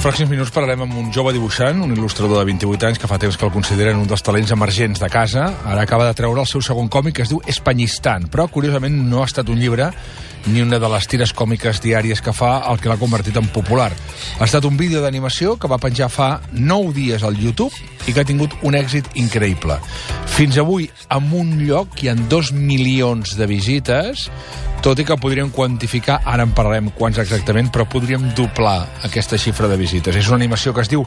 els pròxims minuts parlarem amb un jove dibuixant, un il·lustrador de 28 anys que fa temps que el consideren un dels talents emergents de casa. Ara acaba de treure el seu segon còmic, que es diu Espanyistan, però curiosament no ha estat un llibre ni una de les tires còmiques diàries que fa el que l'ha convertit en popular. Ha estat un vídeo d'animació que va penjar fa 9 dies al YouTube i que ha tingut un èxit increïble. Fins avui, en un lloc hi ha 2 milions de visites, tot i que podríem quantificar, ara en parlarem quants exactament, però podríem doblar aquesta xifra de visites. És una animació que es diu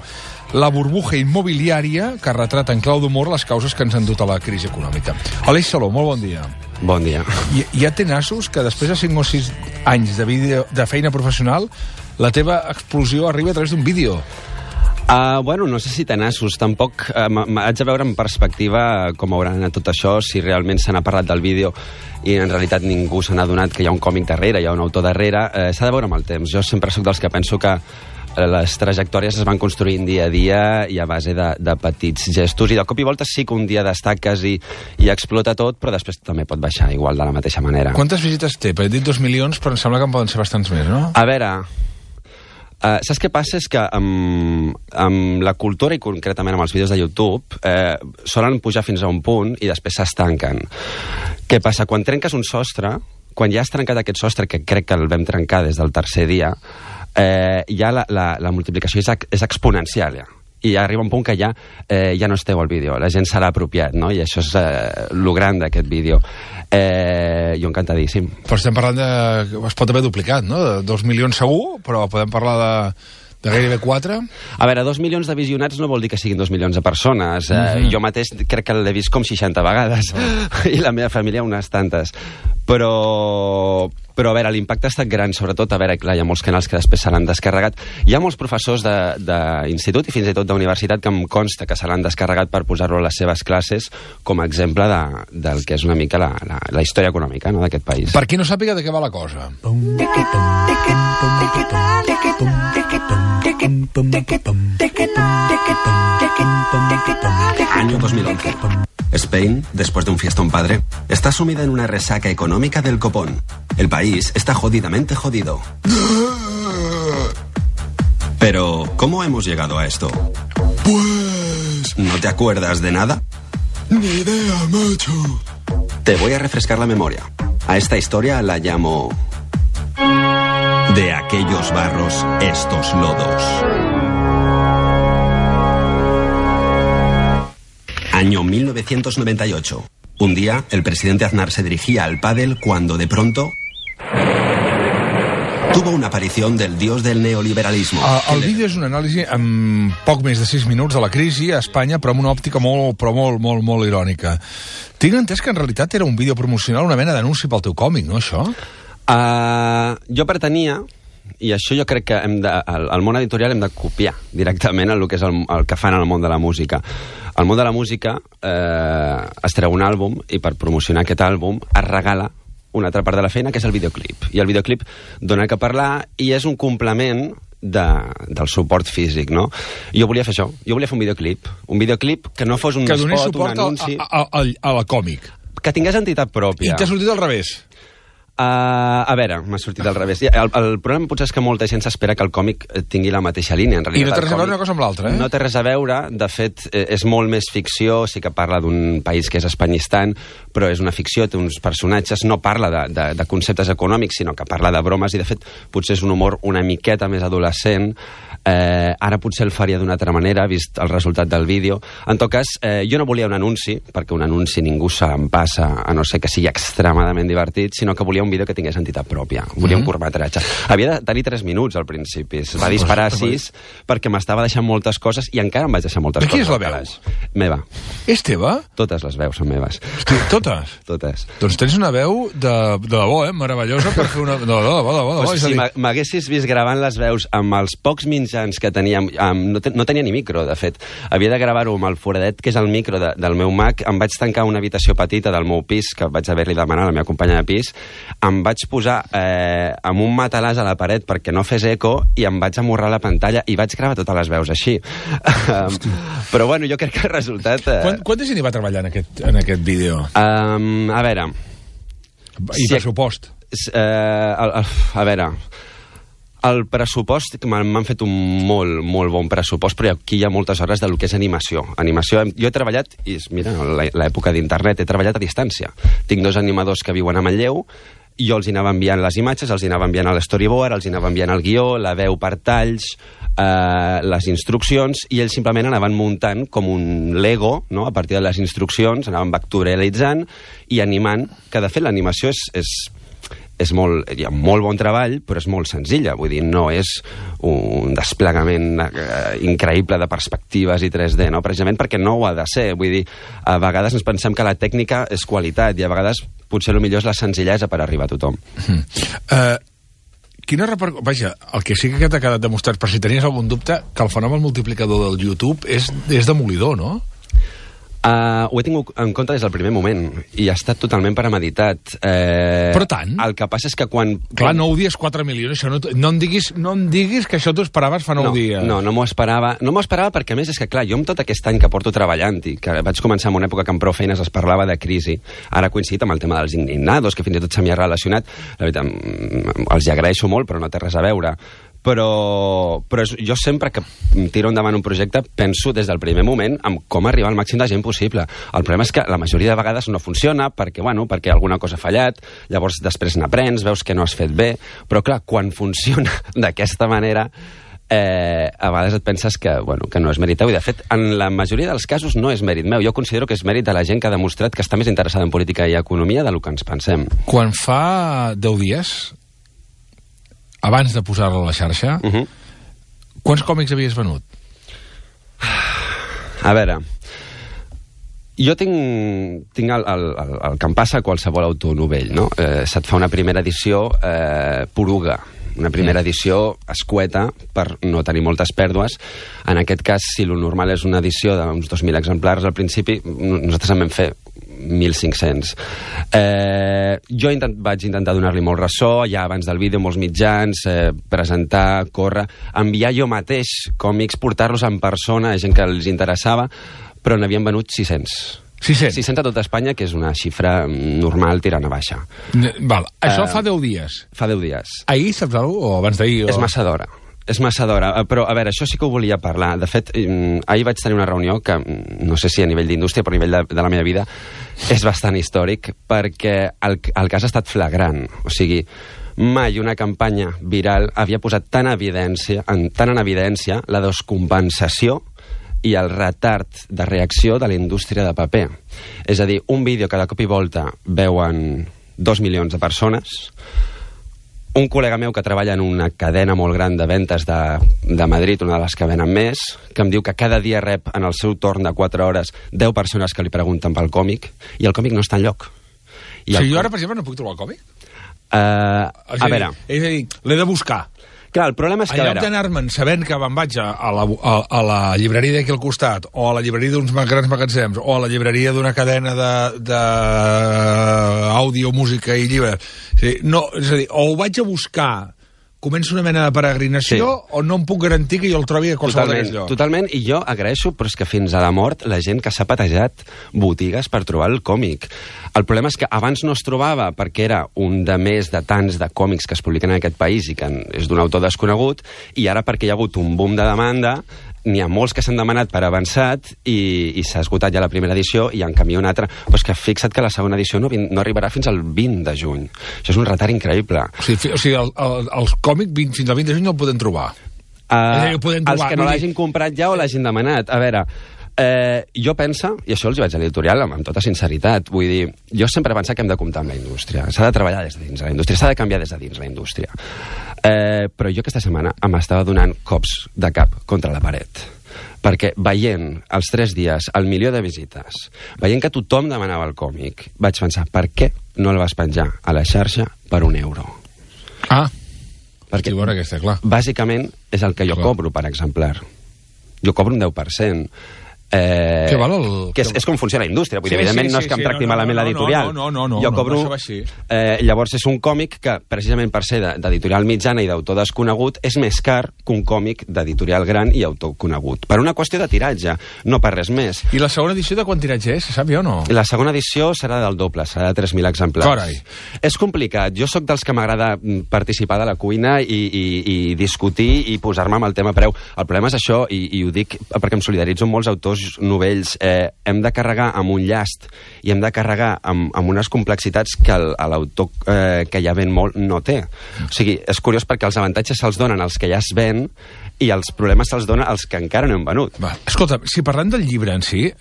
La burbuja immobiliària, que retrata en clau d'humor les causes que ens han dut a la crisi econòmica. Aleix Saló, molt bon dia. Bon dia. Hi ha tenassos que després de 5 o 6 anys de feina professional, la teva explosió arriba a través d'un vídeo. Bueno, no sé si tenassos, tampoc haig de veure en perspectiva com haurà anat tot això, si realment se n'ha parlat del vídeo i en realitat ningú se n'ha adonat que hi ha un còmic darrere, hi ha un autor darrere. S'ha de veure amb el temps. Jo sempre sóc dels que penso que les trajectòries es van construint dia a dia i a base de petits gestos, i de cop i volta sí que un dia destaques i explota tot, però després també pot baixar igual de la mateixa manera. Quantes visites té? He dit 2 milions, però em sembla que en poden ser bastants més, no? A veure, saps què passa? És que amb la cultura i concretament amb els vídeos de YouTube solen pujar fins a un punt i després s'estanquen. Què passa? Quan trenques un sostre, quan ja has trencat aquest sostre, que crec que el vam trencar des del tercer dia, ja la multiplicació és exponencial, ja. I ja arriba un punt que ja no esteu al vídeo, la gent se l'ha apropiat, no? I això és lo gran d'aquest vídeo. Jo encantadíssim. Però estem parlant de... Es pot haver duplicat, no? De 2 milions segur, però podem parlar de gairebé 4? A veure, 2 milions de visionats no vol dir que siguin 2 milions de persones. Jo mateix crec que l'he vist com 60 vegades, i la meva família unes tantes. Però a veure, l'impacte ha estat gran, sobretot, a veure, clar, hi ha molts canals que després se l'han descarregat. Hi ha molts professors d'institut i fins i tot d'universitat que em consta que se l'han descarregat per posar-lo a les seves classes com a exemple del que és una mica la història econòmica, no, d'aquest país. Per qui no sàpiga de què va la cosa. Año 2011. Spain, después de un fiestón padre, está sumida en una resaca económica del copón. El país está jodidamente jodido. Pero, ¿cómo hemos llegado a esto? Pues... ¿No te acuerdas de nada? Ni idea, macho. Te voy a refrescar la memoria. A esta historia la llamo... De aquellos barros, estos lodos. Año 1998. Un día, el presidente Aznar se dirigía al pádel cuando, de pronto, tuvo una aparición del dios del neoliberalismo. El vídeo és una anàlisi en poc més de 6 minuts de la crisi a Espanya, però amb una òptica molt irònica. Tinc entès que en realitat era un vídeo promocional, una mena d'anunci pel teu còmic, no, això? Jo pretenia, i això jo crec que al món editorial hem de copiar directament el que és el que fan al món de la música. Al món de la música es treu un àlbum i per promocionar aquest àlbum es regala una altra part de la feina, que és el videoclip. I el videoclip dona que parlar i és un complement del suport físic, no? Jo volia fer això, jo volia fer un videoclip que no fos un spot, un anunci... Que donés suport a la còmic. Que tingués entitat pròpia. I t'ha sortit al revés. A veure, m'ha sortit al revés. El problema potser és que molta gent s'espera que el còmic tingui la mateixa línia. En realitat, I no té res a veure una cosa amb l'altra, eh? No té res a veure. De fet, és molt més ficció. Sí que parla d'un país que és Espanyistan, però és una ficció, té uns personatges. No parla de conceptes econòmics, sinó que parla de bromes, i de fet potser és un humor una miqueta més adolescent. Ara potser el faria d'una altra manera, vist el resultat del vídeo. En tot cas, jo no volia un anunci, perquè un anunci ningú se'n passa, a no ser que sigui extremadament divertit, sinó que volia un vídeo que tingués entitat pròpia. Volia un curtmetratge. Havia de tenir 3 minuts al principi. Es va disparar a 6 perquè m'estava deixant moltes coses i encara em vaig deixar moltes coses. De qui és la veu? Meva. És teva? Totes les veus són meves. Hosti, totes? Totes. Doncs tens una veu de debò, meravellosa per fer una... De debò. Si m'haguessis vist gravant les veus amb els pocs mitjans que teníem, no tenia ni micro, de fet. Havia de gravar-ho amb el foradet, que és el micro del meu Mac. Em vaig tancar una habitació petita del meu pis, que vaig haver-li demanat a la meva companya de pis. Em vaig posar amb un matalàs a la paret perquè no fes eco i em vaig amorrar la pantalla i vaig gravar totes les veus així. Però bueno, jo crec que el resultat... Quanta gent hi va treballar en aquest vídeo? A veure... I pressupost? A veure... El pressupost, m'han fet un molt bon pressupost, però aquí hi ha moltes hores del que és animació. Jo he treballat, i mira, l'època d'internet, he treballat a distància. Tinc 2 animadors que viuen a Manlleu, i jo els anava enviant les imatges, els anava enviant a l'storyboard, els anava enviant el guió, la veu per talls, les instruccions, i ells simplement anaven muntant com un Lego, no? A partir de les instruccions, anaven vectorialitzant i animant, que de fet l'animació hi ha molt bon treball, però és molt senzilla, vull dir, no és un desplegament increïble de perspectives i 3D, no? Precisament perquè no ho ha de ser, vull dir, a vegades ens pensem que la tècnica és qualitat i a vegades potser el millor és la senzillesa per arribar a tothom. Quina repercussió... Vaja, el que sí que t'ha quedat demostrat, per si tenies algun dubte, que el fenomen multiplicador del YouTube és demolidor, no? Ho he tingut en compte des del primer moment i ha estat totalment premeditat. Però tant? El que passa és que quan... Clar, 9 dies, 4 milions, això no em diguis que això t'ho esperaves fa 9 dies. No m'ho esperava. No m'ho esperava perquè, a més, és que, clar, jo amb tot aquest any que porto treballant i que vaig començar en una època que amb prou feines es parlava de crisi, ara ha coincidit amb el tema dels indignados, que fins i tot se m'hi ha relacionat. La veritat, els hi agraeixo molt, però no té res a veure. Però jo sempre que tiro endavant un projecte penso des del primer moment en com arribar al màxim de gent possible. El problema és que la majoria de vegades no funciona perquè alguna cosa ha fallat, llavors després n'aprens, veus que no has fet bé, però clar, quan funciona d'aquesta manera a vegades et penses que no és mèrit teu, i de fet en la majoria dels casos no és mèrit meu. Jo considero que és mèrit de la gent que ha demostrat que està més interessada en política i economia del que ens pensem. Quan fa 10 dies, abans de posar-la a la xarxa, quants còmics havies venut? A veure, jo tinc el que em passa a qualsevol autor novell, no? Se't fa una primera edició poruga, una primera edició escueta per no tenir moltes pèrdues. En aquest cas, si lo normal és una edició d'uns 2.000 exemplars al principi, nosaltres en vam fer 1.500. Jo vaig intentar donar-li molt ressò, ja abans del vídeo, molts mitjans, presentar, córrer, enviar jo mateix còmics, portar-los en persona a gent que els interessava, però n'havien venut 600. 600 a tot Espanya, que és una xifra normal tirant a baixa. Val, això fa 10 dies. Fa 10 dies. Ahir, saps alguna cosa? O abans d'ahir? És massa d'hora. És massa d'hora, però a veure, això sí que ho volia parlar. De fet, ahir vaig tenir una reunió que, no sé si a nivell d'indústria, però a nivell de la meva vida, és bastant històric, perquè el cas ha estat flagrant. O sigui, mai una campanya viral havia posat tan en evidència la descompensació i el retard de reacció de la indústria de paper. És a dir, un vídeo que de cop i volta veuen 2 milions de persones. Un col·lega meu que treballa en una cadena molt gran de ventes de Madrid, una de les que venen més, que em diu que cada dia rep en el seu torn de 4 hores 10 persones que li pregunten pel còmic, i el còmic no està enlloc. O sigui, jo ara, per exemple, no puc trobar el còmic? A veure... És a dir, l'he de buscar. Clar, el problema és que... En lloc d'anar-me'n sabent que me'n vaig a la llibreria d'aquí al costat, o a la llibreria d'uns grans magatzems, o a la llibreria d'una cadena d'àudio, música i llibres. És a dir, o ho vaig a buscar, comença una mena de peregrinació, o no em puc garantir que jo el trobi a qualsevol d'aquests llocs. Totalment, i jo agraeixo, però és que fins a la mort la gent que s'ha patejat botigues per trobar el còmic. El problema és que abans no es trobava perquè era un de més de tants de còmics que es publiquen en aquest país i que és d'un autor desconegut, i ara perquè hi ha hagut un boom de demanda, n'hi ha molts que s'han demanat per avançat i s'ha esgotat ja la primera edició i en canvi una altra. Però és que fixa't que la segona edició no arribarà fins al 20 de juny. Això és un retard increïble. O sigui, els còmics fins al 20 de juny no el podem trobar. Els que no l'hagin comprat ja o l'hagin demanat. A veure, jo penso, i això els vaig a l'editorial amb tota sinceritat, vull dir, jo sempre he pensat que hem de comptar amb la indústria. S'ha de treballar des de dins la indústria, s'ha de canviar des de dins la indústria. Però jo aquesta setmana m'estava donant cops de cap contra la paret, perquè veient els 3 dies el 1 milió de visites, veient que tothom demanava el còmic, vaig pensar, per què no el vas penjar a la xarxa per €1? Perquè bona aquesta, clar. Bàsicament és el que jo cobro per exemplar. Jo cobro un 10%. Què val el... Que és com funciona la indústria. Vull dir, evidentment no és que em tracti malament l'editorial. No, jo cobro... Llavors és un còmic que, precisament per ser d'editorial mitjana i d'autor desconegut, és més car que un còmic d'editorial gran i autor conegut. Per una qüestió de tiratge, no per res més. I la segona edició de quant tiratge és? Se sap jo o no? La segona edició serà del doble, serà de 3.000 exemplars. Carai. És complicat. Jo sóc dels que m'agrada participar de la cuina i discutir i posar-me amb el tema preu. El problema és això, i ho dic perquè em solidaritzo amb molts autors novells, hem de carregar amb un llast i hem de carregar amb unes complexitats que l'autor que ja ven molt no té. O sigui, és curiós perquè els avantatges se'ls donen als que ja es ven i els problemes se'ls donen als que encara no hem venut. Va, escolta, si parlem del llibre en si,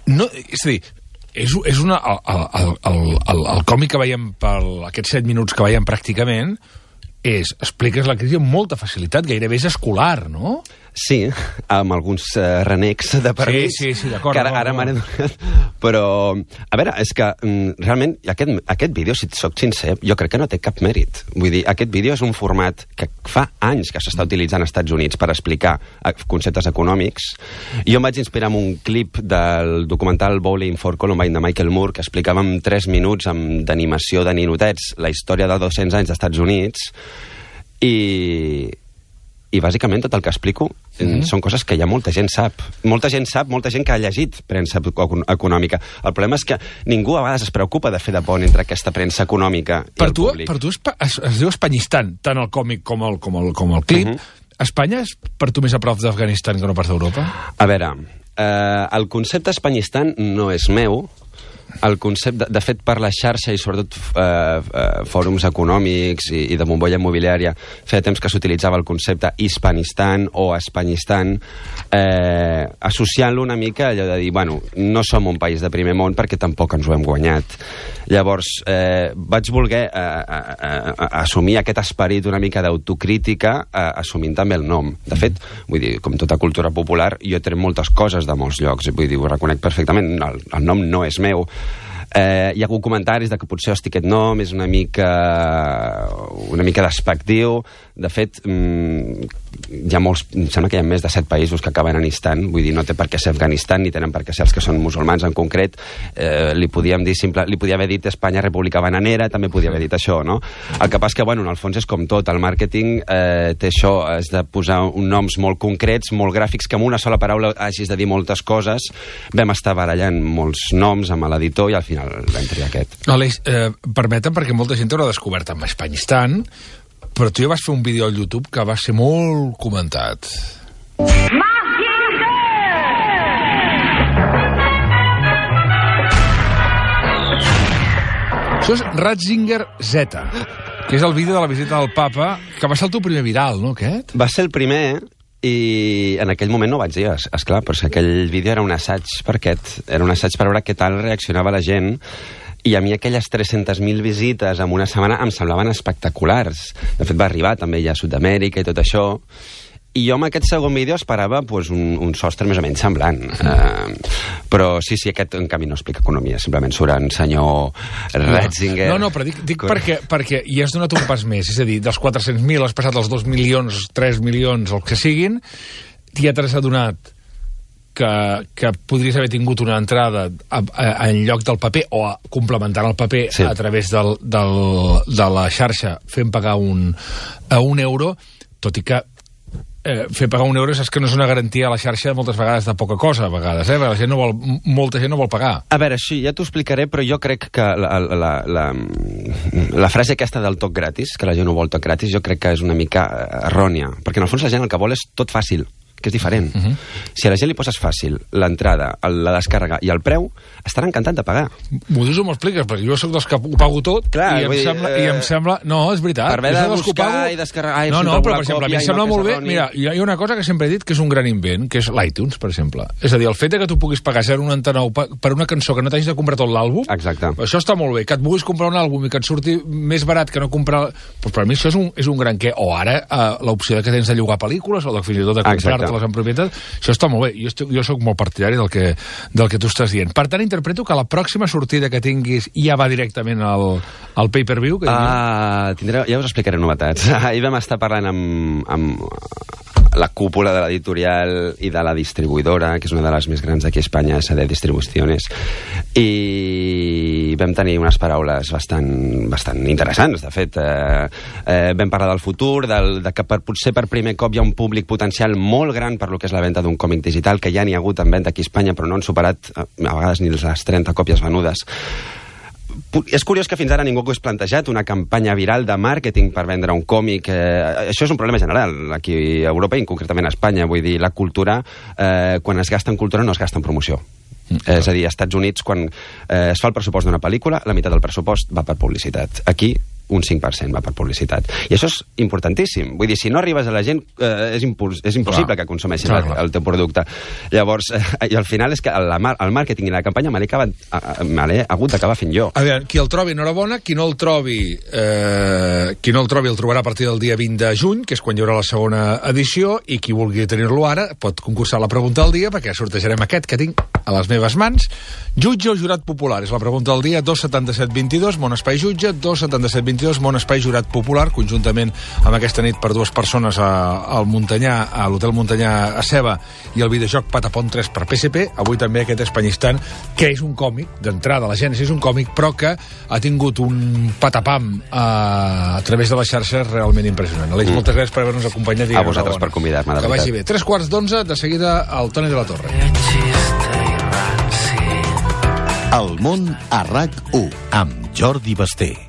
no, és a dir, és una, el còmic que veiem per aquests 7 minuts que veiem pràcticament expliques la crisi amb molta facilitat, gairebé és escolar, no? Sí, amb alguns renecs de permís. Sí, d'acord. Que ara m'han donat. Però, a veure, és que realment aquest vídeo, si et soc sincer, jo crec que no té cap mèrit. Vull dir, aquest vídeo és un format que fa anys que s'està utilitzant als Estats Units per explicar conceptes econòmics. Jo em vaig inspirar en un clip del documental Bowling for Columbine de Michael Moore, que explicava en 3 minuts d'animació de ninotets la història de 200 anys dels Estats Units i bàsicament tot el que explico són coses que ja molta gent sap. Molta gent que ha llegit premsa econòmica. El problema és que ningú a vegades es preocupa de fer de pont entre aquesta premsa econòmica i el públic. Per tu es diu Espanyistan, tant el còmic com el clip. Espanya és per tu més a prop d'Afganistan que no pas d'Europa? A veure, el concepte Espanyistan no és meu. El concepte, de fet, per la xarxa i sobretot fòrums econòmics i de bombolla immobiliària, feia temps que s'utilitzava el concepte Hispanistan o Espanyistan, associant-lo una mica allò de dir, bueno, no som un país de primer món perquè tampoc ens ho hem guanyat. Llavors, vaig voler assumir aquest esperit una mica d'autocrítica assumint també el nom. De fet, vull dir, com tota cultura popular, jo he tret moltes coses de molts llocs, vull dir, ho reconec perfectament, el nom no és meu. Hi ha hagut comentaris de que potser aquest nom és una mica despectiu. De fet, hi ha molts, em sembla que hi ha més de 7 països que acaben en Istan, vull dir, no té per què ser Afganistan, ni tenen per què ser els que són musulmans en concret. Li podia haver dit Espanya República Bananera, també podia haver dit això, no? El que passa que, bueno, en el fons és com tot, el màrqueting té això, has de posar noms molt concrets, molt gràfics, que amb una sola paraula hagis de dir moltes coses. Vam estar barallant molts noms amb l'editor i al final vam triar aquest. Aleix, permetem, perquè molta gent t'haurà descobert amb Espanyistan, però tu ja vas fer un vídeo al YouTube que va ser molt comentat. Això és Ratzinger Z, que és el vídeo de la visita del papa, que va ser el teu primer viral, no, aquest? Va ser el primer, i en aquell moment no ho vaig dir, esclar, però aquell vídeo era un assaig per aquest, era un assaig per veure què tal reaccionava la gent, i a mi aquelles 300.000 visites en una setmana em semblaven espectaculars. De fet, va arribar també ja a Sud-amèrica i tot això, i jo amb aquest segon vídeo esperava pues, un sostre més o menys semblant. Però sí, aquest en canvi no explica economia, simplement surt en senyor Ratzinger. No, però dic perquè hi has donat un pas més, és a dir, dels 400.000 has passat als 2 milions, 3 milions, el que siguin, ja t'has adonat que podries haver tingut una entrada en lloc del paper o complementant el paper a través de la xarxa fent pagar a un euro, tot i que fer pagar un euro saps que no és una garantia a la xarxa moltes vegades de poca cosa, a vegades, molta gent no vol pagar. A veure, sí, ja t'ho explicaré, però jo crec que la frase aquesta del toc gratis, que la gent no vol toc gratis, jo crec que és una mica errònia, perquè en el fons la gent el que vol és tot fàcil, que és diferent. Si a la gent li poses fàcil l'entrada, la descàrrega i el preu, estarà encantat de pagar. M'ho dius o m'ho expliques? Perquè jo soc dels que ho pago tot. Clar, i em sembla... No, és veritat. Per haver de buscar i descarregar... No, però per exemple, a mi em sembla molt bé... Mira, hi ha una cosa que sempre he dit que és un gran invent, que és l'iTunes, per exemple. És a dir, el fet que tu puguis pagar 0,99 per una cançó que no t'hagis de comprar tot l'àlbum, això està molt bé. Que et vulguis comprar un àlbum i que et surti més barat que no comprar... Doncs per mi això és un gran què. O ara, l'opció que tens de llogar pel·lícules o fins i tot de comprar-te-les en propietat, això està molt bé. Jo soc molt partidari del que tu estàs dient. Per tant, interpreto que la pròxima sortida que tinguis ja va directament al pay-per-view. Ja us explicaré novetats. Ahir vam estar parlant amb la cúpula de l'editorial i de la distribuïdora, que és una de les més grans d'aquí a Espanya, SD Distribuciones, i vam tenir unes paraules bastant interessants, de fet. Vam parlar del futur, de que potser per primer cop hi ha un públic potencial molt gran per lo que és la venda d'un còmic digital, que ja n'hi ha hagut en venda aquí a Espanya, però no han superat a vegades ni les 30 còpies venudes. És curiós que fins ara ningú hagués plantejat una campanya viral de màrqueting per vendre un còmic. Això és un problema general aquí a Europa i concretament a Espanya. Vull dir, la cultura, quan es gasta en cultura no es gasta en promoció. És a dir, als Estats Units, quan es fa el pressupost d'una pel·lícula, la meitat del pressupost va per publicitat. Aquí un 5% va per publicitat. I això és importantíssim. Vull dir, si no arribes a la gent, és impossible que consumeixin el teu producte. Llavors, i al final és que el màrqueting i la campanya me l'he hagut d'acabar fent jo. A veure, qui el trobi, enhorabona. Qui no el trobi el trobarà a partir del dia 20 de juny, que és quan hi haurà la segona edició, i qui vulgui tenir-lo ara pot concursar la pregunta del dia, perquè sortejarem aquest que tinc a les meves mans. Jutge o jurat popular? És la pregunta del dia. 27722, Món Espai Jutge, 27722, Món Espai Jurat Popular, conjuntament amb aquesta nit per dues persones al Montanyà, a l'Hotel Montanyà a Ceba, i el videojoc Patapon 3 per PSP. Avui també aquest Espanyistan, que és un còmic, d'entrada la Gènesi és un còmic, però que ha tingut un patapam a través de les xarxes realment impressionant. Aleix, moltes gràcies per haver-nos acompanyat. A vosaltres per convidar-me, de veritat. Que vagi bé. 3:15, de seguida el Toni de la Torre. El món a RAC1 amb Jordi Basté.